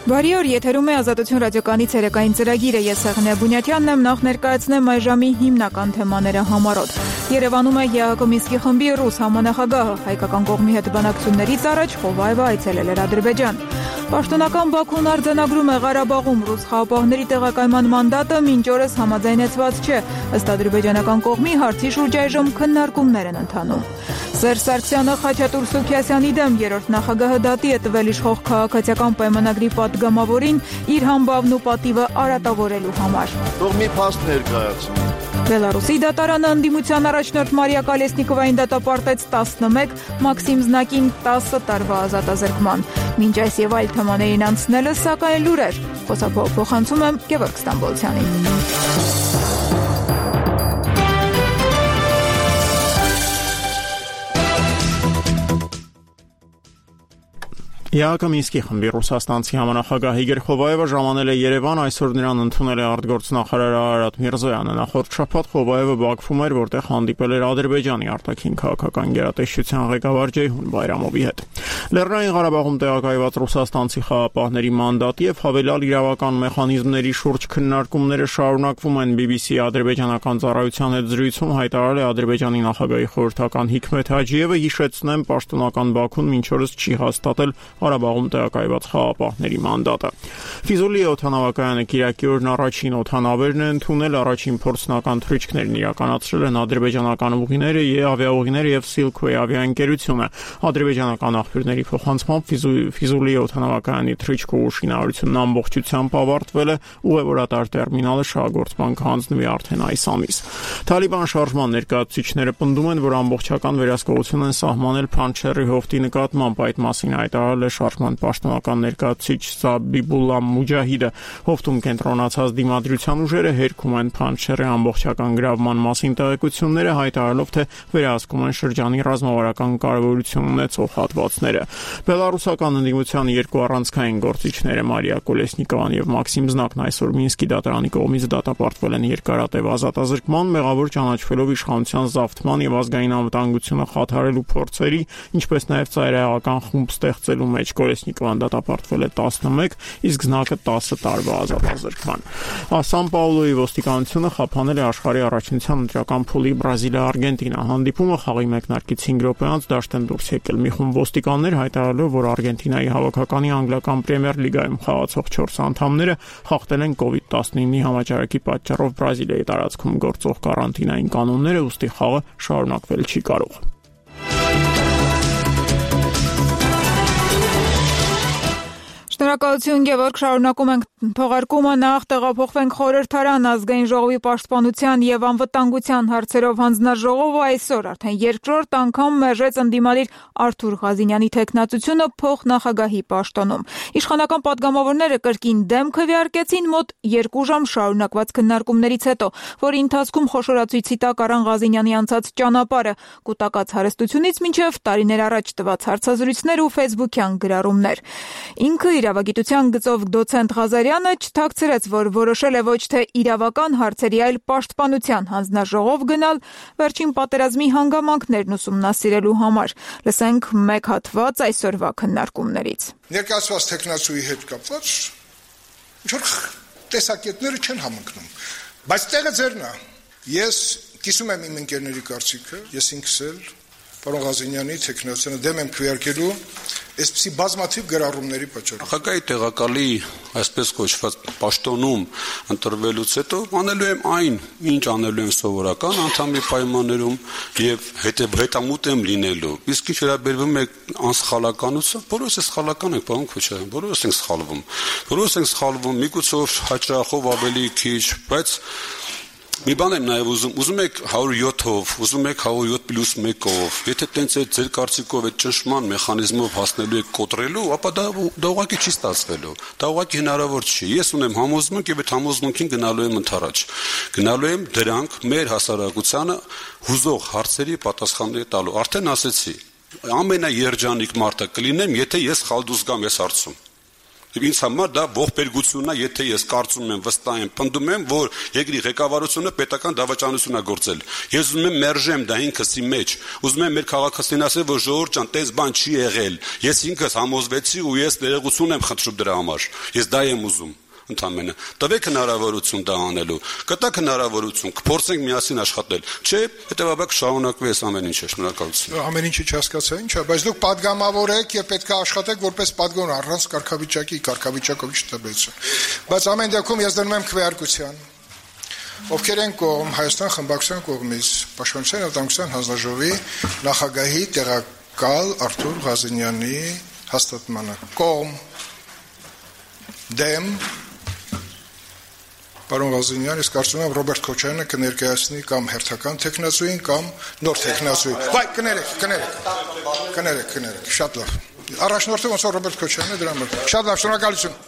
Բարի օր, եթերում է Ազատություն ռադիոկայանի ցերեկային ծրագիրը, ես Սեղնե Բունյաթյանն եմ, նախ ներկայացնեմ այս ժամի հիմնական թեմաները համառոտ։ Երևանում է ԵԱՀԿ Մինսկի խմբի ռուս համանախագահը, հայկական կողմի հետ բանակցություններից առաջ Խովայևը այցելել էր Ադրբեջան։ Պաշտոնական Բաքուն արձանագրում է Ղարաբաղում ռուս խաղապահների տեղակայման մանդատը մինչ օրս համաձայնեցված չէ, ըստ ադրբեջանական կողմի հարցի շուրջ այժմ քննարկումներ են ընթանում։ Սերժ Սարգսյանը Խաչատուր Սուքիասյանի դեմ երրորդ նախագահը դատի է տվել իշխող քաղաքացիական պայմանագրի պատգամավորին իր համբավն ու պատիվը արատավորելու համար։ Թող մի փաստ ներկայացնի։ Բելարուսի դատարանը ընդդիմության առաջնորդ Մարիա Կալեսնիկովային դատապարտեց 11, Մաքսիմ Զնակին 10 տարվա ազատազրկման։ Մինչ այս եւ այլ թեմաներին անցնելը, սակայն լուրեր։ Փոխանցում եմ Գևորգ Ստամբոլցյանին։ ԵԱՀԿ Մինսկի խմբի ռուսաստանցի համանախագահ Իգոր Խովայևը ժամանել է Երևան, այսօր նրան ընդունել է արտգործնախարար Արարատ Միրզոյանը։ Նախորդ շաբաթ Խովայևը Բաքվում էր, որտեղ հանդիպել էր Ադրբեջանի արտաքին քաղաքական գերատեսչության ղեկավար Ջեյհուն Բայրամովի հետ։ Լեռնային Ղարաբաղում տեղակայված ռուսաստանցի խաղապահների մանդատի եւ հավելյալ իրավական մեխանիզմների շուրջ քննարկումները շարունակվում են։ BBC ադրբեջանական ծառայության հետ զրույցում հայտարարել է Ադրբեջանի նախագահի խորհրդական Հիքմեթ Հաջիևը, հիշեցնեմ, պաշտոնական Բաքուն մինչ օրս չի հաստատել Ղարաբաղում տեղակայված խաղապահների մանդատը։ Ֆիզուլի օդանավակայանը Կիրակի օրն առաջին օդանավերն է ընդունել, առաջին փորձնական թռիչքներն իրականացրել են ադրբեջանական ուղիները եւ ավիաուղիները եւ Silkway ավիաընկերությունը։ Ադրբեջանական աղբյուրների փոխանցմամբ Ֆիզուլի օդանավակայանի թռիչքով շինարարությունն ամբողջությամբ ավարտվել է, ուղևորատար տերմինալը շահագործման կհանձնվի արդեն այս ամիս։ Թալիբան շարժման ներկայացուցիչները պնդում են, որ ամբողջական վերահսկողություն են սահմանել Փանչերի հովտի նկատմամբ, այդ մասին հայտարարել է շարժման պաշտոնական ներկայացուցիչ Զաբիբուլլա Մուջահիդը։ Հովտում կենտրոնացած դիմադրության ուժերը հերքում են Փանչերի ամբողջական գրավման մասին տեղեկությունները, հայտարարելով, թե վերահսկում են շրջանի ռազմավարական կարևորություն ունեցող հատվածները։ Բելարուսական ընդդիմության երկու առանցքային գործիչները Մարիա Կոլեսնիկովան եւ Մաքսիմ Զնակն այսօր Մինսկի դատարանի կողմից դատապարտվել են երկարատև ազատազրկման, մեղավոր ճանաչվելով իշխանության զավթման եւ ազգային անվտանգությունը խաթարելու փորձերի, ինչպես նաեւ ծայրահեղական խումբ ստեղծելու մեջ։ Կոլեսնիկովան դատապարտվել է 11, իսկ Զնակը 10 տարվա ազատազրկման։ Սան Պաուլոյի ոստիկանությունը խափանել է աշխարհի առաջնության ընտրական փուլի Բրազիլիա-Արգենտինա հանդիպումը, խաղի մեկնարկից 5 րոպե անց դաշտ են դուրս եկել մի խումբ ոստիկաններ, հայտարարելով, որ Արգենտինայի հավաքականի անգլիական պրեմիեր լիգայում խաղացող 4 անդամները խախտել են COVID-19-ի համաճարակի պատճառով Բրազիլիայի տարածքում գործող կարանտինային կանոնները, ուստի խաղը շարունակվել չի կարող։ Շնորհակալություն Գևորգ, շարունակում ենք թողարկումը, նախ տեղափոխվենք խորհրդարան ազգային ժողովի պաշտպանության եւ անվտանգության հարցերով հանձնաժողովը այսօր արդեն երկրորդ անգամ մերժեց ընդդիմադիր Արթուր Ղազինյանի թեկնածությունը փոխնախագահի պաշտոնում։ Իշխանական պատգամավորները կրկին դեմ քվեարկեցին մոտ 2 ժամ շարունակված քննարկումներից հետո, որի ընթացքում խոշորացույցի տակ առան Ղազինյանի անցած ճանապարհը, կուտակած հարստությունից մինչև տարիներ առաջ տված հարցազրույցներ ու ֆեյսբուքյան գրառումներ։ Ինքը իրավագիտության գծով դոցենտ Ղազարյանը չթաքցրեց, որ որոշել է ոչ թե իրավական հարցերի, այլ պաշտպանության հանձնաժողով գնալ վերջին պատերազմի հանգամանքներն ուսումնասիրելու համար։ Լսենք մեկ հատված այսօրվա քննարկումներից։ Ներկայացված տեխնացուի հետ կապված ինչ-որ տեսակետները չեն համընկնում, բայց տեղը ձերն է։ Ես կիսում եմ իմ ընկերների կարծիքը, ես ինքս էլ պարոն Ղազինյանի թեկնածությունը դեմ եմ քվեարկելու այսպիսի բազմաթիվ գրառումների պատճառով։ Նախագահի տեղակալի այսպես կոչված պաշտոնում ընտրվելուց հետո անելու եմ այն, ինչ անելու եմ սովորական անդամի պայմաններում եւ հետամուտ եմ լինելու։ Իսկ ինչ վերաբերվում է անսխալականություն, բոլորս է սխալական ենք, պարոն Քոչարյան, բոլորս ենք սխալվում։ Բոլորս ենք սխալվում, միգուցով հաճախով ավելի քիչ, բայց մի բան եմ նաև ուզում եք 107-ով, ուզում եք 107+1-ով, եթե տենց է ձեր կարծիքով այդ ճնշման մեխանիզմով հասնելու եք կոտրելու, ապա դա ուղղակի չի ստացվելու, դա ուղղակի հնարավոր չի։ Ես ունեմ համոզմունք եւ այդ համոզմունքին գնալու եմ ընդառաջ։ Գնալու եմ դրանք մեր հասարակությանը հուզող հարցերի պատասխաններ տալու։ Արդեն ասեցի, ամենաերջանիկ մարդը կլինեմ, եթե ես խալդուս գամ այս հարցում։ Եվ ինձ համար դա ողբերգությունն է, եթե ես կարծում եմ, վստահ եմ, պնդում եմ, որ երկրի ղեկավարությունը պետական դավաճանություն է գործել։ Ես ուզում եմ մերժեմ դա ինքսի մեջ։ Ուզում եմ մեր քաղաքացին ասել, որ ժողովուրդ ջան, տես բան չի եղել։ Ես ինքս համոզվեցի ու ես ներողություն եմ խնդրում դրա համար։ Ես դա եմ ուզում։ Ընդամենը տվեք հնարավորություն դա անելու, կտակ հնարավորություն, կփորձենք միասին աշխատել, չէ, հետևաբար կշարունակվի այս ամեն ինչը, շնորհակալություն։ Ամեն ինչը չհասկացա, ինչ է, բայց դուք падգամավոր եք եւ պետք է աշխատեք որպես падգոն առանց կարգավիճակով չտբեցը։ Բայց ամեն դեպքում ես դնում եմ քվեարկության։ Ովքեր են կողմ Հայաստան խմբակցության կողմից Պաշտպանության եւ Տնտեսության հանձնաժողովի նախագահի տեղակալ Արթուր Ղազենյանի հաստատմանը կողմ դեմ Պարոն Ղազենյան, ես կարծում եմ Ռոբերտ Քոչարյանը կներկայացնի կամ հերթական տեխնացուին կամ նոր տեխնացուին։ Վայ, կներեք, շատ լավ։ Առաջնորդը ոնց որ Ռոբերտ Քոչարյանն է դրա համար։ Շատ լավ, շնորհակալություն։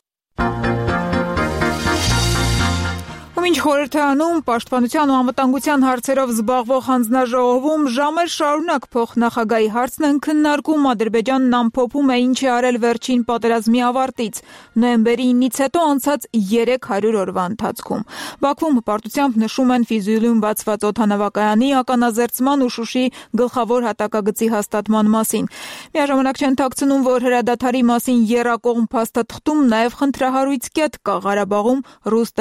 Ինչ խորհրդարանում պաշտպանության ու անվտանգության հարցերով զբաղվող հանձնաժողովում ժամեր շարունակ փոխնախագահի հարցն են քննարկում, Ադրբեջանն ամփոփում է ինչ է արել վերջին պատերազմի ավարտից, նոյեմբերի 9-ից հետո անցած 300 օրվա ընթացքում։ Բաքվում հպարտությամբ նշում են Ֆիզուլիում բացված օդանավակայանի ականազերծման ու Շուշի գլխավոր հատակագծի հաստատման մասին։ Միաժամանակ չեն թաքցնում, որ հրադադարի մասին եռակողմ փաստաթղթում նաև խնդրահարույց կետ կա Ղարաբաղում ռուս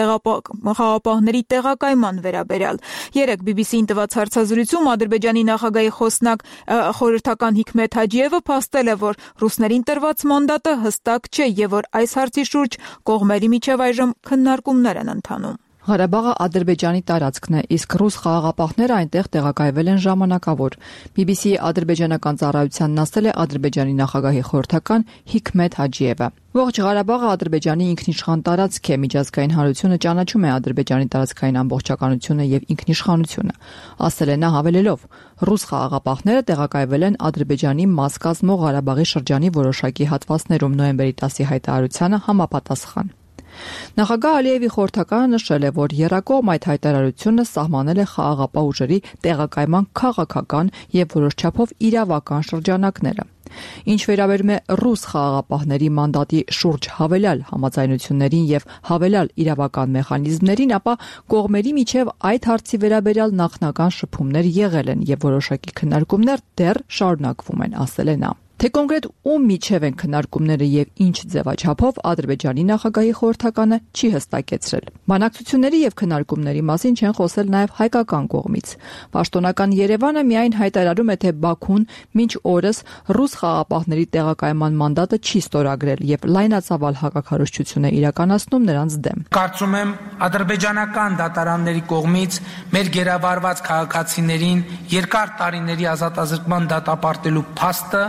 խաղապահների տեղակայման վերաբերյալ։ Երեկ BBC-ին տված հարցազրույցում Ադրբեջանի նախագահի խոսնակ խորհրդական Հիկմեթ Հաջիևը փաստել է, որ ռուսներին տրված մանդատը հստակ չէ եւ որ այս հարցի շուրջ կողմերի միջև այժմ քննարկումներ են ընթանում։ Ղարաբաղը Ադրբեջանի տարածքն է, իսկ ռուս խաղաղապահները այնտեղ տեղակայվել են ժամանակավոր։ BBC-ի ադրբեջանական ծառայությանն ասել է Ադրբեջանի նախագահի խորհրդական Հիկմեթ Հաջիևը։ Ողջ Ղարաբաղը Ադրբեջանի ինքնիշխան տարածք է, միջազգային հանրությունը ճանաչում է Ադրբեջանի տարածքային ամբողջականությունը եւ ինքնիշխանությունը, ասել է նա հավելելով. ռուս խաղաղապահները տեղակայվել են Ադրբեջանի մաս կազմող Ղարաբաղի շրջանի որոշակի հատվածներում նոյեմբերի 10-ի հայտարարությանը համապատասխան։ Նախագահ Ալիևի խորհրդականը նշել է, որ եռակողմ այդ հայտարարությունը սահմանել է խաղաղապահ ուժերի տեղակայման քաղաքական եւ որոշ չափով իրավական շրջանակները։ Ինչ վերաբերում է ռուս խաղաղապահների մանդատի շուրջ հավելյալ համաձայնություններին եւ հավելյալ իրավական մեխանիզմներին, ապա կողմերի միջև այդ հարցի վերաբերյալ նախնական շփումներ եղել են եւ որոշակի քննարկումներ դեռ շարունակվում են, ասել է նա։ Թե կոնկրետ ում միջև են քննարկումները եւ ինչ ձևաչափով Ադրբեջանի նախագահի խորհրդականը չի հստակեցրել։ Բանակցությունների եւ քննարկումների մասին չեն խոսել նաեւ հայկական կողմից։ Պաշտոնական Երևանը միայն հայտարարում է, թե Բաքուն մինչ օրս ռուս խաղապահների տեղակայման մանդատը չի ստորագրել եւ լայնածավալ հակաքարոզչություն է իրականացնում նրանց դեմ։ Կարծում եմ ադրբեջանական դատարանների կողմից մեր գերավարված քաղաքացիներին երկար տարիների ազատազրկման դատապարտելու փաստը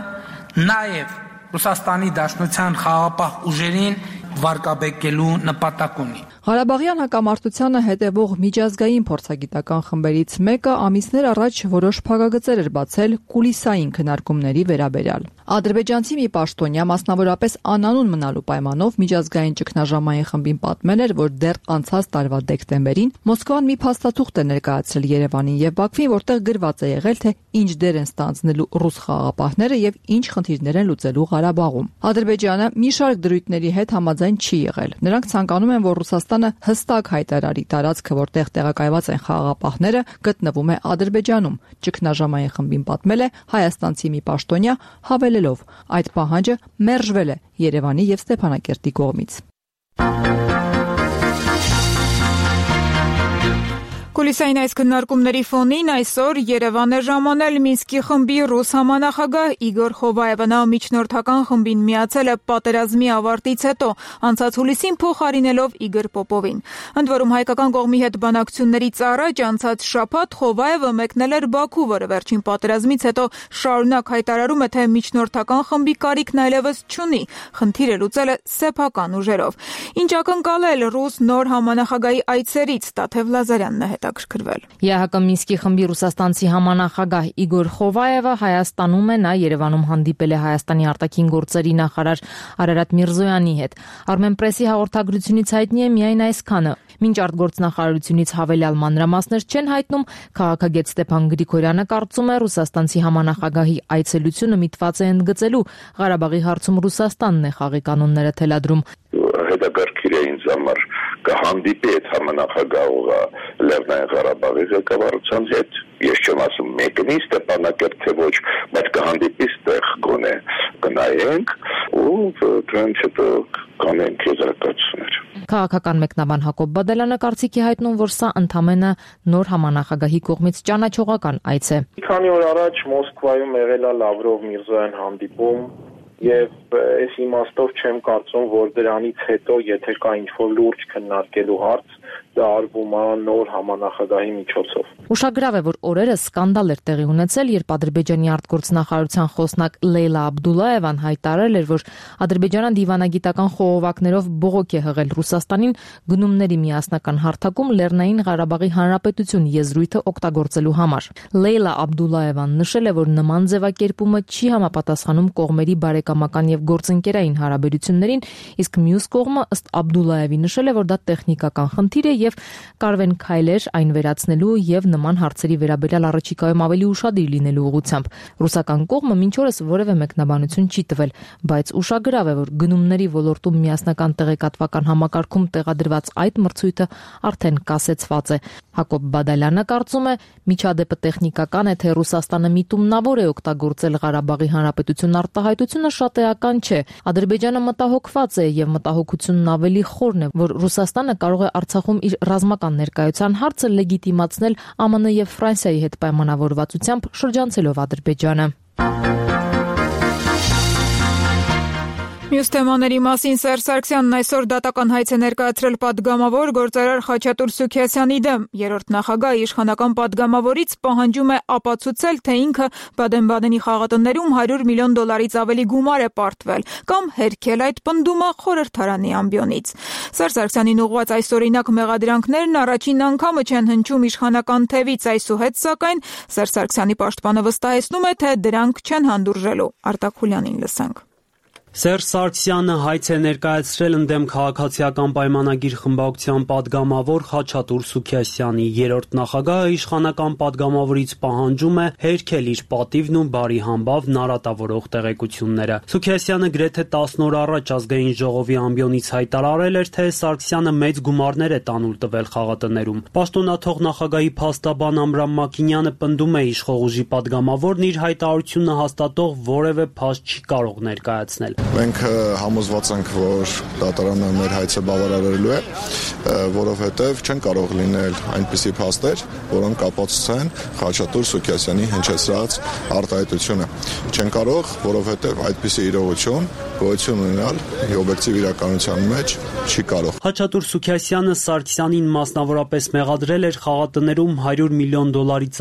նաև Ռուսաստանի Դաշնության խաղաղապահ ուժերին վարկաբեկելու նպատակ ունի։ Ղարաբաղյան հակամարտությանը հետևող միջազգային փորձագիտական խմբերից մեկը ամիսներ առաջ որոշ փակագծեր էր բացել կուլիսային քննարկումների վերաբերյալ։ Ադրբեջանցի մի պաշտոնյա, մասնավորապես անանուն մնալու պայմանով միջազգային ճգնաժամային խմբին պատմել էր, որ դեռ անցած տարվա դեկտեմբերին Մոսկվան մի փաստաթուղթ է ներկայացրել Երևանին եւ Բաքվին, որտեղ գրված է եղել, թե ինչ դեր են ստանձնելու ռուս խաղաղապահները եւ ինչ խնդիրներ են լուծելու Ղարաբաղում։ Ադրբեջանը մի շարք դրույթների հետ համաձայն չի եղել։ Նրանք ցանկանում են, որ Ռուսաստանը հստակ հայտարարի տարածքը, որտեղ տեղակայված են խաղաղապահները, գտնվում է Ադրբեջանում։ Ճգնաժամային խմբին պատմել է հայաստանցի մի պաշտոնյա, հավելելով. այդ պահանջը մերժվել է Երևանի եւ Ստեփանակերտի կողմից։ Կուլիսային այս քննարկումների ֆոնին այսօր Երևան է ժամանել Մինսկի խմբի ռուս համանախագահ Իգոր Խովայևը։ Նա միջնորդական խմբին միացել է պատերազմի ավարտից հետո, անցած հուլիսին փոխարինելով Իգոր Պոպովին։ Ընդ որում հայկական կողմի հետ բանակցություններից առաջ անցած շաբաթ Խովայևը մեկնել էր Բաքու, որը վերջին պատերազմից հետո շարունակ հայտարարում է, թե միջնորդական խմբի կարիքն այլևս չունի, խնդիրը լուծել է սեփական ուժերով։ Ինչ ակնկալել ռուս նոր համանախագահի այցերից, Տաթև Լազարյանն է հետաքրքրվել։ ԵԱՀԿ Մինսկի խմբի ռուսաստանցի համանախագահ Իգոր Խովայևը Հայաստանում է, նա Երևանում հանդիպել է Հայաստանի արտաքին գործերի նախարար Արարատ Միրզոյանի հետ։ Armenpress-ի հաղորդագրությունից հայտնի է միայն այսքանը։ Մինչ արտգործնախարարությունից հավելյալ մանրամասներ չեն հայտնում, քաղաքագետ Ստեփան Գրիգորյանը կարծում է, ռուսաստանցի համանախագահի այցելությունը միտված է ընդգծելու Ղարաբաղի հարցում Ռուսաստանն է խաղի կանոնները թելադրում։ Հետաքրքիր է ինձ համար կհանդիպի այդ համանախագահողը Լեռնային Ղարաբաղի ղեկավարության հետ։ Ես չեմ ասում մեկնի Ստեփանակերտ թե ոչ, բայց կհանդիպի ստեղ գոնե կնայենք ու դրանց հետո կանենք եզրակացություններ։ Քաղաքական մեկնաբան Հակոբ Բադալյանը կարծիքի հայտնում, որ սա ընդամենը նոր համանախագահի կողմից ճանաչողական այց է։ Քանի օր առաջ Մոսկվայում եղել է Լավրով-Միրզոյան հանդիպում եւ այս իմաստով չեմ կարծում, որ դրանից հետո եթե կա ինչ-որ լուրջ քննարկելու հարց, դա արվում է նոր համանախագահի միջոցով։ Ուշագրավ է, որ օրերս սկանդալ էր տեղի ունեցել, երբ Ադրբեջանի արտգործնախարարության խոսնակ Լեյլա Աբդուլլաևան հայտարարել էր, որ Ադրբեջանը դիվանագիտական խողովակներով բողոք է հղել Ռուսաստանին գնումների միասնական հարթակում Լեռնային Ղարաբաղի Հանրապետություն եզրույթը օգտագործելու համար։ Լեյլա Աբդուլլաևան նշել է, որ նման ձևակերպումը չի համապատասխանում կողմերի բարեկամական եւ գործընկերային հարաբերություններին, իսկ մյուս կողմը ըստ Աբդուլլաևի նշել է, որ դա տեխնիկական խնդիր է եւ կարվեն քայլեր այն վերացնելու եւ նման հարցերի վերաբերյալ առաջիկայում ավելի ուշադիր լինելու ուղղությամբ։ Ռուսական կողմը մինչ օրս որևէ մեկնաբանություն չի տվել, բայց ուշագրավ է, որ գնումների ոլորտում միասնական տեղեկատվական համակարգում տեղադրված այդ մրցույթը արդեն կասեցված է։ Հակոբ Բադալյանը կարծում է, միջադեպը տեխնիկական է, թե Ռուսաստանը միտումնավոր է օգտագործել Ղարաբաղի Հանրապետություն արտահայտությունը շատ էական չէ։ Ադրբեջանը մտահոգված է եւ մտահոգությունն ավելի խորն է, որ Ռուսաստանը կարող է Արցախում իր ռազմական ներկայության հարցը լեգիտիմացնել ԱՄՆ եւ Ֆրանսիայի հետ պայմանավորվածությամբ շրջանցելով Ադրբեջանը։ Մյուս թեմաների մասին Սերժ Սարգսյանն այսօր դատական հայց է ներկայացրել պատգամավոր գործարար Խաչատուր Սուքիասյանի դեմ։ Երրորդ նախագահը իշխանական պատգամավորից պահանջում է ապացուցել, թե ինքը Բադեն-Բադենի խաղատներում $100 միլիոն ավելի գումար է պարտվել, կամ հերքել այդ պնդումը խորհրդարանի ամբիոնից։ Սերժ Սարգսյանին ուղղված այսօրինակ մեղադրանքներն առաջին անգամը չեն հնչում իշխանական թևից, այսուհետ սակայն Սերժ Սարգսյանի պաշտպանը վստահեցնում է, թե դրանք չեն հանդուրժելու։ Արտակ Խուլյանին լսենք։ Սերժ Սարգսյանը հայց է ներկայացրել ընդդեմ քաղաքացիական պայմանագիր խմբակցության պատգամավոր Խաչատուր Սուքիասյանի։ Երրորդ նախագահը իշխանական պատգամավորից պահանջում է հերքել իր պատիվն ու բարի համբավ նարատավորող տեղեկությունները։ Սուքիասյանը գրեթե 10 օր առաջ ազգային ժողովի ամբիոնից հայտարարել էր, թե Սարգսյանը մեծ գումարներ է տանուլ տվել խաղատներում։ Պաշտոնաթող նախագահի փաստաբան Ամրամ Մակինյանը պնդում է, իշխող ուժի պատգամավորն իր հայտարարությունը հաստատող որևէ փաստ չի կարող ներկայացնել։ Մենք համոզված ենք, որ դատարանը մեր հայցը բավարարելու է, որովհետև չեն կարող լինել այնպիսի փաստեր, որոնք կապացուցեն Խաչատուր Սուքիասյանի հնչեցրած արտահայտությունը։ Չեն կարող, որովհետև այդպիսի իրողություն գոյություն ունենալ օբյեկտիվ իրականության մեջ չի կարող։ Խաչատուր Սուքիասյանը Սարգսյանին մասնավորապես մեղադրել էր խաղատներում $100 միլիոն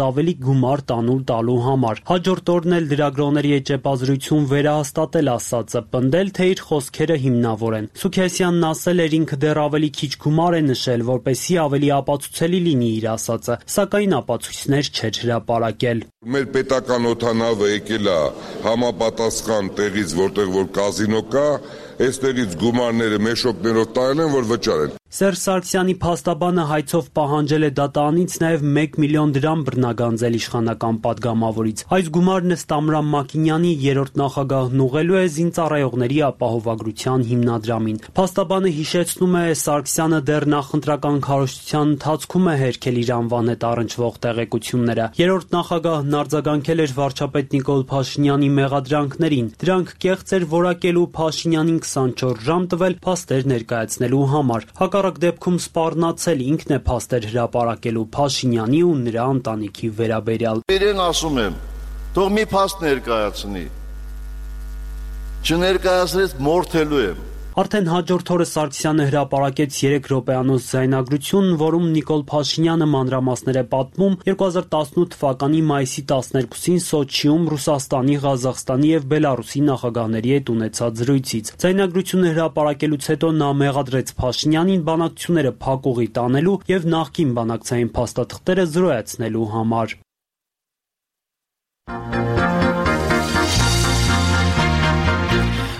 ավելի գումար տանուլ տալու համար։ Հաջորդ օրն էլ լրագրողների էջեպազրույցում վերահաստատել ասածը, պնդել, թե իր խոսքերը հիմնավոր են։ Սուքիասյանն ասել էր, ինքը դեռ ավելի քիչ գումար է նշել, որպեսզի ավելի ապացուցելի լինի իր ասածը, սակայն ապացույցներ չէր հրապարակել։ Մեր պետական օդանավը եկել է համապատասխան տեղից, որտեղ որ կազինո կա, այստեղից գումարները մեշոկներով տարել են, որ վճարեն։ Սերժ Սարգսյանի փաստաբանը հայցով պահանջել է դատարանից նաև $1 միլիոն բռնագանձել իշխանական պատգամավորից։ Այս գումարն ըստ Ամրամ Մակինյանի երրորդ նախագահն ուղղելու է զինծառայողների ապահովագրության հիմնադրամին։ Փաստաբանը հիշեցնում է, Սարգսյանը դեռ նախընտրական քարոզչության ընթացքում է հերքել իր անվան հետ առնչվող տեղեկությունները։ Երրորդ նախագահն արձագանքել էր վարչապետ Նիկոլ Փաշինյանի մեղադրանքներին։ Դրանք կեղծ էր որակելու Փաշինյանին 24 ժամ տվել փաստեր ներկայացնելու համար։ Հակառակ դեպքում սպառնացել ինքն է փաստեր հրապարակելու Փաշինյանի ու նրա ընտանիքի վերաբերյալ։ Իրեն ասում եմ, թող մի փաստ ներկայացնի։ Չներկայացրեց մորթելու եմ։ Արդեն հաջորդ օրը Սարգսյանը հրապարակեց 3 րոպեանոց ձայնագրություն, որում Նիկոլ Փաշինյանը մանրամասներ է պատմում 2018 թվականի մայիսի 12-ին Սոչիում Ռուսաստանի, Ղազախստանի եւ Բելարուսի նախագահների հետ ունեցած զրույցից։ Ձայնագրությունը հրապարակելուց հետո նա մեղադրեց Փաշինյանին բանակցությունները փակուղի տանելու եւ նախկին բանակցային փաստաթղթերը զրոյացնելու համար։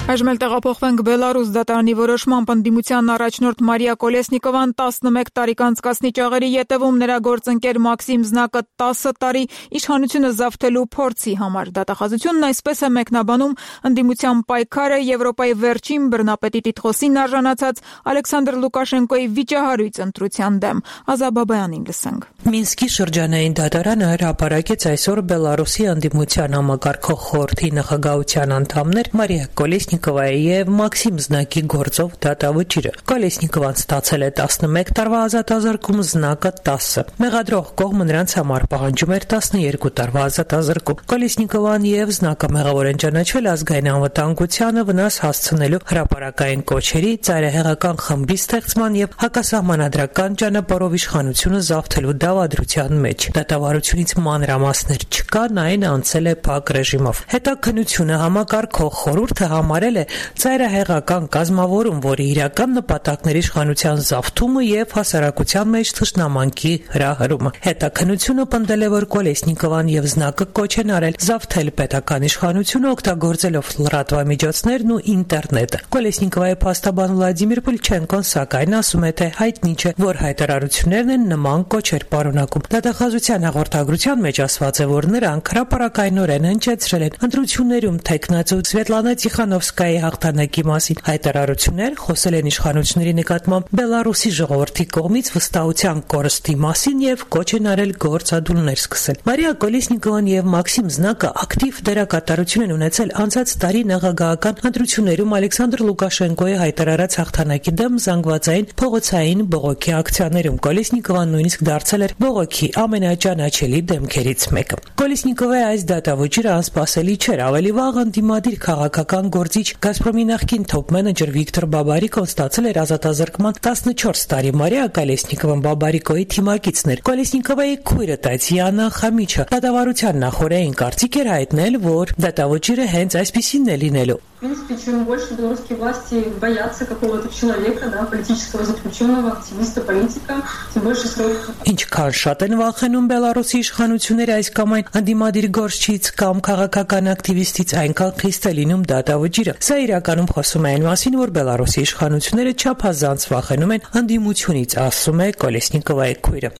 Այժմ էլ տեղափոխվենք Բելարուս դատարանի որոշմամբ ընդդիմության առաջնորդ Մարիա Կոլեսնիկովան 11 տարի կանցկացնի ճաղերի ետևում նրա գործընկեր Մաքսիմ Զնակը 10 տարի իշխանությունը զավթելու փորձի համար։ Դատախազությունն այսպես է մեկնաբանում ընդդիմության պայքարը Եվրոպայի վերջին բռնապետի տիտղոսին արժանացած Ալեքսանդր Լուկաշենկոյի վիճահարույց ընտրության դեմ։ Ազաբաբայանին լսենք։ Մինսկի շրջանային դատարանը հրապարակեց այսօր Բելարուսի ընդդիմության համակարգող խորհրդի նախագահության անդամներ Մարիա Կոլեսնիկովայի եւ Մաքսիմ Զնակի գործով դատավճիռը։ Կոլեսնիկովան ստացել է 11 տարվա ազատազրկում, Զնակը 10։ Մեղադրող կողմը նրանց համար պահանջում էր 12 տարվա ազատազրկում։ Կոլեսնիկովան եւ Զնակը մեղավոր են ճանաչվել ազգային անվտանգությանը վնաս հասցնելու հրապարակային կոչերի, ծայրահեղական խմբի ստեղծման եւ հակասահմանադրական ճանապարհով իշխանությունը զավթելու դավադրության մեջ։ Դատավարությունից մանրամասներ չկան, այն անցել է փակ ռեժիմով։ Հետաքննությունը համակարգող խորհուրդը համարել է ծայրահեղական կազմավորում, որի իրական նպատակն էր իշխանության զավթումը եւ հասարակության մեջ թշնամանքի հրահրումը։ Հետաքննությունը պնդել է, որ Կոլեսնիկովան եւ Զնակը կոչ են արել զավթել պետական իշխանությունը օգտագործելով լրատվամիջոցներն ու ինտերնետը։ Կոլեսնիկովայի փաստաբան Վլադիմիր Պուլչենկոն սակայն ասում է, թե հայտնի չէ, որ հայտարարություններն են նման կոչեր պարունակում։ Դատախազության հաղորդագրության մեջ ասված է, որ նրանք հրապարակայնորեն հնչեցրել են ընտրություններում թեկնածու Սվետլանա Տիխանովսկայի հաղթանակի մասին հայտարարություններ, խոսել են իշխանությունների նկատմամբ Բելարուսի ժողովրդի կողմից վստահության կորստի մասին եւ կոչ են արել գործադուլներ սկսել։ Մարիա Կոլեսնիկովան եւ Մաքսիմ Զնակը ակտիվ դերակատարություն են ունեցել անցած տարի նախագահական ընտրություններում Ալեքսանդր Լուկաշենկոյի հայտարարած հաղթանակի դեմ զանգվածային փողոցային բողոքի ակցիաներում։ Կոլեսնիկովան նույնիսկ դարձել էր բողոքի ամենաճանաչելի դեմքերից մեկը։ Կոլեսնիկովայի այս դատավճիռը անսպասելի չէր, ավելի վաղ ընդդիմադիր քաղաքական գործիչ Գազպրոմի նախկին թոփ մենեջեր Վիկտոր Բաբարիկոն ստացել էր ազատազրկման 14 տարի։ Մարիա Կոլեսնիկովան Բաբարիկոյի թիմակիցն էր։ Կոլեսնիկովայի քույրը Տատյանա Խամիչը դատավարության նախորդային կարծիք էր հայտնել, որ դատավճիռը հենց այսպիսին է լինելու։ В принципе, чем больше белорусские власти боятся какого-то человека, да, политического заключенного, активиста, политика, тем больше сроков. Ինչքան շատ են վախենում Բելարուսի իշխանությունները այս կամ այն ընդդիմադիր գործչից կամ քաղաքական ակտիվիստից, այնքան խիստ է լինում դատավճիռը։ Սա իրականում խոսում է այն մասին, որ Բելարուսի իշխանությունները չափազանց վախենում են ընդդիմությունից, ասում է Կոլեսնիկովայի քույրը։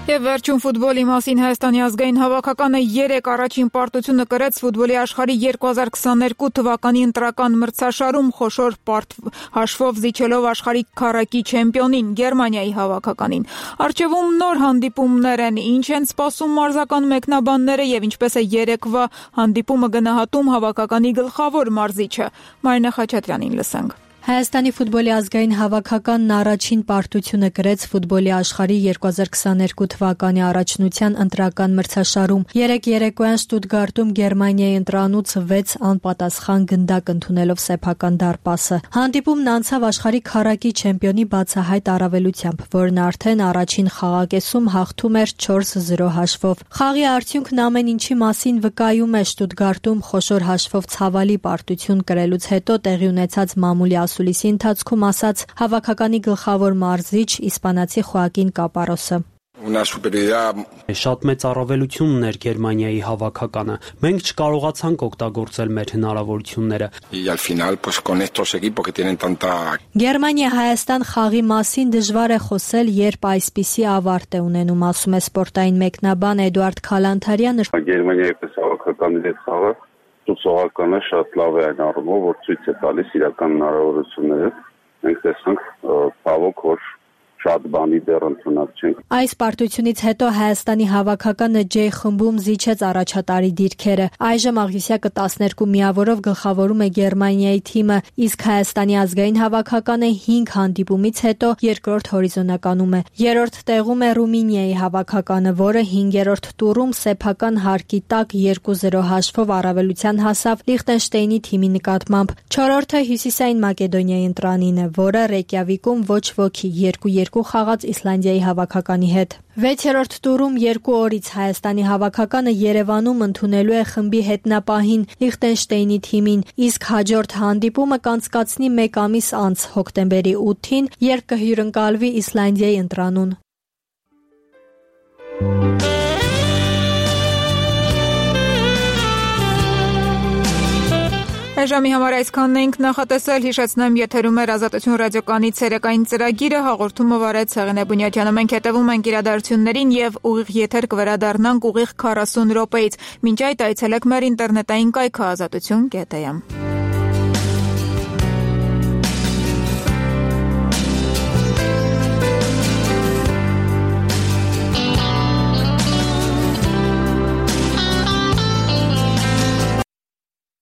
Եվ վերջում ֆուտբոլի մասին Հայաստանի ազգային հավաքականը 3 առաջին պարտությունը կրեց ֆուտբոլի աշխարհի 2022 թվականի ընտրական մրցաշարում խոշոր հաշվով զիջելով աշխարհի քառակի չեմպիոնին Գերմանիայի հավաքականին։ Առջևում նոր հանդիպումներ են, ինչ են սպասում մարզական մեկնաբանները եւ ինչպես է երեկվա հանդիպումը գնահատում հավաքականի գլխավոր մարզիչը։ Մարինա Խաչատրյանին լսենք։ Հայաստանի ֆուտբոլի ազգային հավաքականն առաջին պարտությունը կրեց ֆուտբոլի աշխարհի 2022 թվականի առաջնության ընտրական մրցաշարում։ Երեկոյան Շտուտգարտում Գերմանիայի ընտրանուց 6 անպատասխան գնդակ ընդունելով սեփական դարպասը։ Հանդիպումն անցավ աշխարհի քառակի չեմպիոնի բացահայտ առավելությամբ, որն արդեն առաջին խաղակեսում հաղթում էր 4-0 հաշվով։ Խաղի արդյունքն ամեն ինչի մասին վկայում է Շտուտգարտում խոշոր հաշվով ցավալի պարտություն կրելուց հետո տեղի ունեցած մամուլի Սուլիսի ընթացքում ասաց հավաքականի գլխավոր մարզիչ իսպանացի Խոակին Կապարոսը։ Շատ մեծ առավելություն ուներ Գերմանիայի հավաքականը։ Մենք չկարողացանք օգտագործել մեր հնարավորությունները։ Գերմանիա-Հայաստան խաղի մասին դժվար է խոսել, երբ այսպիսի ավարտ է ունենում, ասում է սպորտային մեկնաբան Էդուարդ Քալանթարյանը։ Գերմանիայի պես հավաքականի հետ խաղը Սովորականը շատ լավ է այն առումով, որ ցույց է տալիս իրական հնարավորությունները։ Մենք տեսանք ցավոք, որ շատ բանի դեռ ընդունած չենք։ Այս պարտությունից հետո Հայաստանի հավաքականը J խմբում զիջեց առաջատարի դիրքերը։ Այժմ աղյուսյակը 12 միավորով գլխավորում է Գերմանիայի թիմը, իսկ Հայաստանի ազգային հավաքականը 5 հանդիպումից հետո երկրորդ հորիզոնականում է։ Երրորդ տեղում է Ռումինիայի հավաքականը, որը 5-րդ տուրում սեփական հարկի տակ 2-0 հաշվով առավելության հասավ Լիխտենշտեյնի թիմի նկատմամբ։ Չորրորդը Հյուսիսային Մակեդոնիայի ընտրանին է, որը Ռեյկյավիկում ոչ ոքի 2-2 խաղաց Իսլանդիայի հավաքականի հետ։ 6-րդ տուրում 2 օրից Հայաստանի հավաքականը Երևանում ընդունելու է խմբի հետնապահին Լիխտենշտեյնի թիմին, իսկ հաջորդ հանդիպումը կանցկացնի 1 ամիս անց հոկտեմբերի 8-ին, երբ կհյուրընկալվի Իսլանդիայի ընտրանուն։ Այժմի համար այսքանն էինք նախատեսել, հիշեցնեմ եթերում էր Ազատություն ռադիոկայանի ցերեկային ծրագիրը, հաղորդումը վարեց Հեղինե Բունյատյանը։ Մենք հետևում ենք իրադարձություններին եւ ուղիղ եթեր կվերադառնանք ուղիղ 40 րոպեից։ Մինչ այդ այցելեք մեր ինտերնետային կայքը azatutun.am։